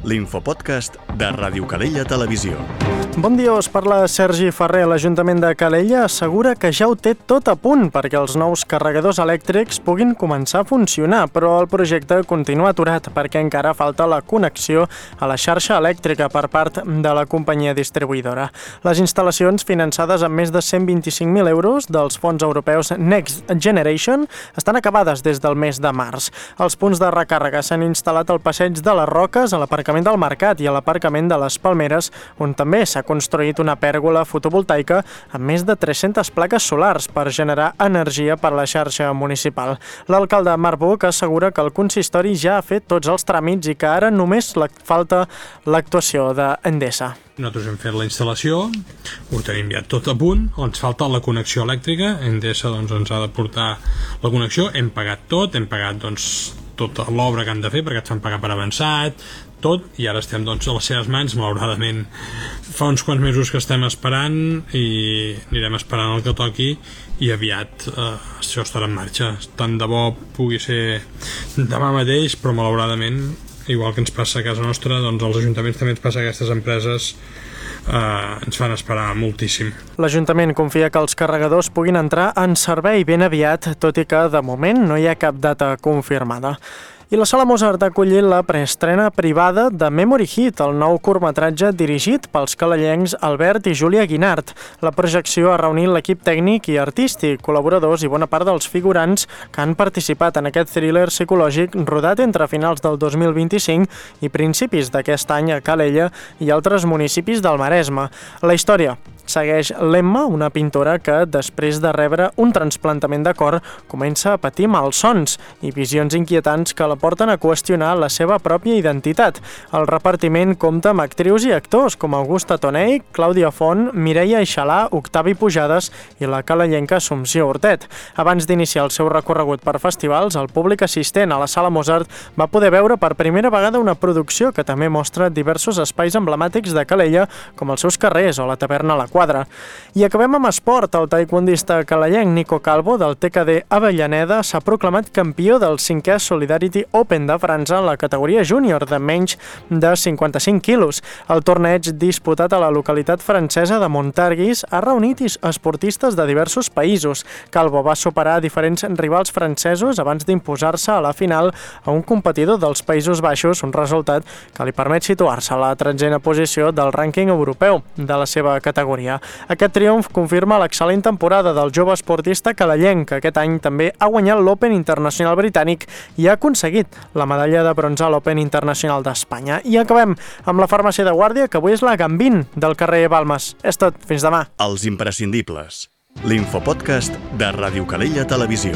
l'infopodcast de Ràdio Calella Televisió. Bon dia, us parla Sergi Ferrer. L'Ajuntament de Calella assegura que ja ho té tot a punt perquè els nous carregadors elèctrics puguin començar a funcionar, però el projecte continua aturat perquè encara falta la connexió a la xarxa elèctrica per part de la companyia distribuïdora. Les instal·lacions, finançades amb més de 125.000 euros dels fons europeus Next Generation, estan acabades des del mes de març. Els punts de recàrrega s'han instal·lat al passeig de les Roques, a l'aparcament del Mercat i a l'aparcament de les Palmeres, on també s'ha construït una pèrgola fotovoltaica amb més de 300 plaques solars per generar energia per a la xarxa municipal. L'alcalde Marc Buch assegura que el consistori ja ha fet tots els tràmits i que ara només falta l'actuació d'Endesa. Nosaltres hem fet la instal·lació, ho tenim ja tot a punt, ens falta la connexió elèctrica. Endesa ens ha de portar la connexió, hem pagat tot, hem pagat tota l'obra que han de fer perquè ens fan pagar per avançat, tot, i ara estem a les seves mans. Malauradament fa uns quants mesos que estem esperant i anirem esperant el que toqui i aviat això estarà en marxa. Tant de bo pugui ser demà mateix, però malauradament, igual que ens passa a casa nostra, als ajuntaments també ens passa a aquestes empreses, ens fan esperar moltíssim. L'Ajuntament confia que els carregadors puguin entrar en servei ben aviat, tot i que de moment no hi ha cap data confirmada. I la Sala Mozart ha acollit la preestrena privada de Memory Hit, el nou curtmetratge dirigit pels calellencs Albert i Júlia Guinart. La projecció ha reunit l'equip tècnic i artístic, col·laboradors i bona part dels figurants que han participat en aquest thriller psicològic rodat entre finals del 2025 i principis d'aquest any a Calella i altres municipis del Maresme. La història segueix l'Emma, una pintora que, després de rebre un trasplantament de cor, comença a patir malsons i visions inquietants que la porten a qüestionar la seva pròpia identitat. El repartiment compta amb actrius i actors com Augusta Tonell, Clàudia Font, Mireia Eixalà, Octavi Pujades i la calellenca Assumpció Hortet. Abans d'iniciar el seu recorregut per festivals, el públic assistent a la Sala Mozart va poder veure per primera vegada una producció que també mostra diversos espais emblemàtics de Calella, com els seus carrers o la taverna La Quadra. I acabem amb esport. El taekwondista calellenc Nico Calvo, del TKD Avellaneda, s'ha proclamat campió del 5è Solidarity Open de França en la categoria júnior de menys de 55 quilos. El torneig, disputat a la localitat francesa de Montargis, ha reunit esportistes de diversos països. Calvo va superar diferents rivals francesos abans d'imposar-se a la final a un competidor dels Països Baixos, un resultat que li permet situar-se a la 13a posició del rànquing europeu de la seva categoria. Aquest triomf confirma l'excel·lent temporada del jove esportista calellenc, que aquest any també ha guanyat l'Open Internacional Britànic i ha aconseguit la medalla de bronze a l'Open Internacional d'Espanya. I acabem amb la farmàcia de guàrdia, que avui és la Gambín del carrer Balmes. És tot, fins demà. Els imprescindibles. L'infopodcast de Ràdio Calella Televisió.